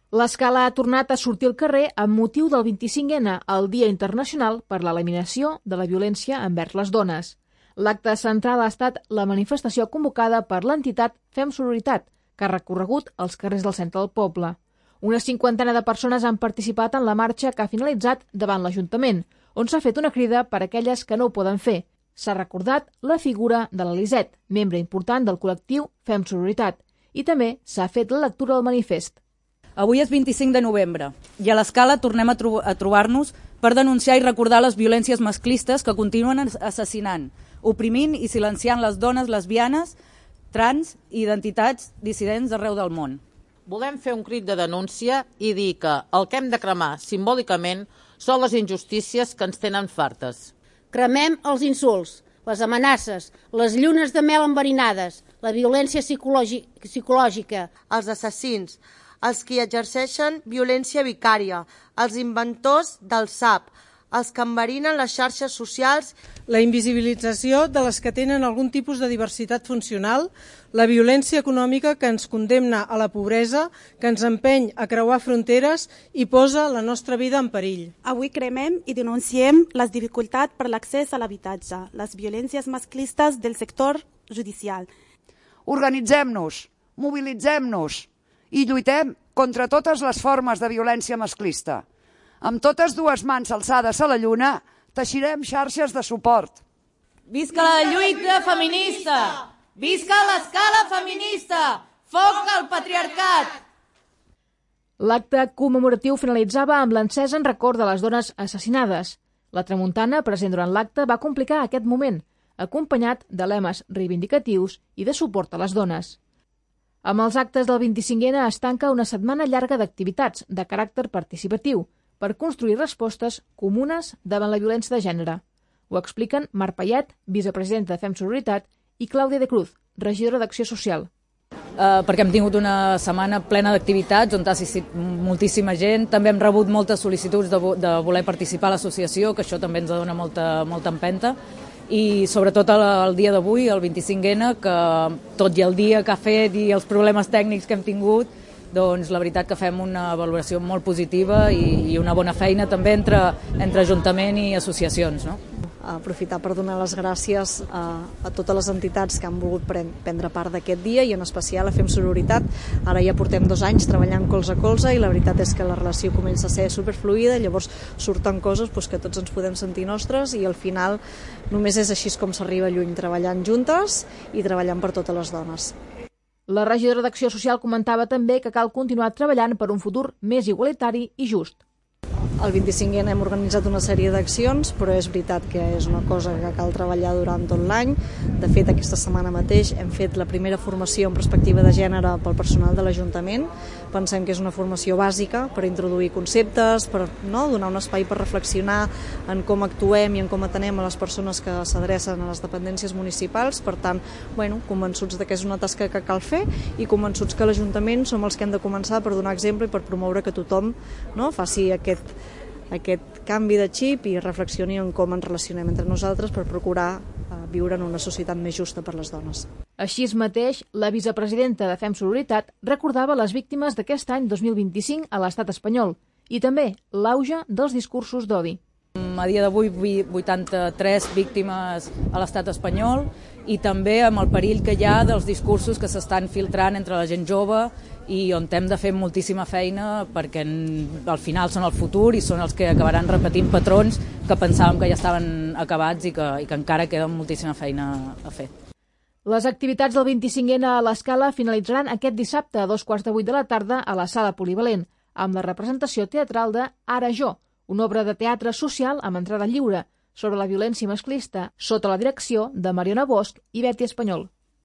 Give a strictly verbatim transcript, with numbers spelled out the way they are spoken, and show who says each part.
Speaker 1: L'Escala ha tornat a sortir al carrer amb motiu del vint-i-cinc ena, el Dia Internacional per l'Eliminació de la Violència envers les Dones. L'acte central ha estat la manifestació convocada per l'entitat Fem Sororitat, que ha recorregut els carrers del centre del poble. Una cinquantena de persones han participat en la marxa que ha finalitzat davant l'Ajuntament, on s'ha fet una crida per a aquelles que no ho poden fer. S'ha recordat la figura de l'Eliset, membre important del col·lectiu Fem Sororitat, i també s'ha fet la lectura del manifest.
Speaker 2: Avui és vint-i-cinc de novembre i a l'Escala tornem a, tro a trobar-nos per denunciar i recordar les violències masclistes que continuen assassinant, oprimint i silenciant les dones lesbianes, trans i identitats dissidents d'arreu del món.
Speaker 3: Volem fer un crit de denúncia i dir que el que hem de cremar simbòlicament són les injustícies que ens tenen fartes.
Speaker 4: Cremem els insults, les amenaces, les llunes de mel enverinades, la violència psicològica,
Speaker 5: els assassins, els qui exerceixen violència vicària, els inventors del S A P, els que enverinen les xarxes socials,
Speaker 6: la invisibilització de les que tenen algun tipus de diversitat funcional, la violència econòmica que ens condemna a la pobresa, que ens empeny a creuar fronteres i posa la nostra vida en perill.
Speaker 7: Avui cremem i denunciem les dificultats per l'accés a l'habitatge, les violències masclistes del sector judicial.
Speaker 8: Organitzem-nos, mobilitzem-nos i lluitem contra totes les formes de violència masclista. Amb totes dues mans alçades a la lluna, teixirem xarxes de suport.
Speaker 2: Visca la lluita feminista! Visca l'Escala feminista! Foc al patriarcat!
Speaker 1: L'acte commemoratiu finalitzava amb l'encesa en record de les dones assassinades. La tramuntana, present durant l'acte, va complicar aquest moment, acompanyat de lemes reivindicatius i de suport a les dones. Amb els actes del vint-i-cinc ena es tanca una setmana llarga d'activitats de caràcter participatiu per construir respostes comunes davant la violència de gènere. Ho expliquen Mar Payet, vicepresidenta de Fem Sororitat, i Clàudia de Cruz, regidora d'Acció Social.
Speaker 2: Uh, perquè hem tingut una setmana plena d'activitats on ha assistit moltíssima gent. També hem rebut moltes sol·licituds de, vo de voler participar a l'associació, que això també ens dona molta, molta empenta. I sobretot el, el dia d'avui, el vint-i-cinc ena, que tot i el dia que ha fet i els problemes tècnics que hem tingut, doncs la veritat que fem una valoració molt positiva i, i una bona feina també entre, entre Ajuntament i associacions, no?
Speaker 9: Aprofitar per donar les gràcies a, a totes les entitats que han volgut prendre part d'aquest dia i en especial a Fem Sororitat. Ara ja portem dos anys treballant colze a colze i la veritat és que la relació comença a ser superfluida, llavors surten coses doncs, que tots ens podem sentir nostres i al final només és així com s'arriba lluny, treballant juntes i treballant per totes les dones.
Speaker 1: La regidora d'Acció Social comentava també que cal continuar treballant per un futur més igualitari i just.
Speaker 9: El vint-i-cinc ena hem organitzat una sèrie d'accions, però és veritat que és una cosa que cal treballar durant tot l'any. De fet, aquesta setmana mateix hem fet la primera formació en perspectiva de gènere pel personal de l'Ajuntament. Pensem que és una formació bàsica per introduir conceptes, per no, donar un espai per reflexionar en com actuem i en com atenem a les persones que s'adrecen a les dependències municipals. Per tant, bueno, convençuts de que és una tasca que cal fer i convençuts que l'Ajuntament som els que hem de començar per donar exemple i per promoure que tothom no, faci aquest aquest canvi de xip i reflexioni en com ens relacionem entre nosaltres per procurar eh, viure en una societat més justa per les dones.
Speaker 1: Així mateix, la vicepresidenta de Fem Sororitat recordava les víctimes d'aquest any dos mil vint-i-cinc a l'estat espanyol i també l'auge dels discursos d'odi.
Speaker 2: A dia d'avui, vuitanta-tres víctimes a l'estat espanyol i també amb el perill que hi ha dels discursos que s'estan filtrant entre la gent jove i on hem de fer moltíssima feina perquè al final són el futur i són els que acabaran repetint patrons que pensàvem que ja estaven acabats i que, i que encara queda moltíssima feina a fer.
Speaker 1: Les activitats del vint-i-cinc ena a l'Escala finalitzaran aquest dissabte a dos quarts de vuit de la tarda a la Sala Polivalent, amb la representació teatral de Ara jo, una obra de teatre social amb entrada lliure sobre la violència masclista sota la direcció de Mariona Bosch i Betty Espanyol.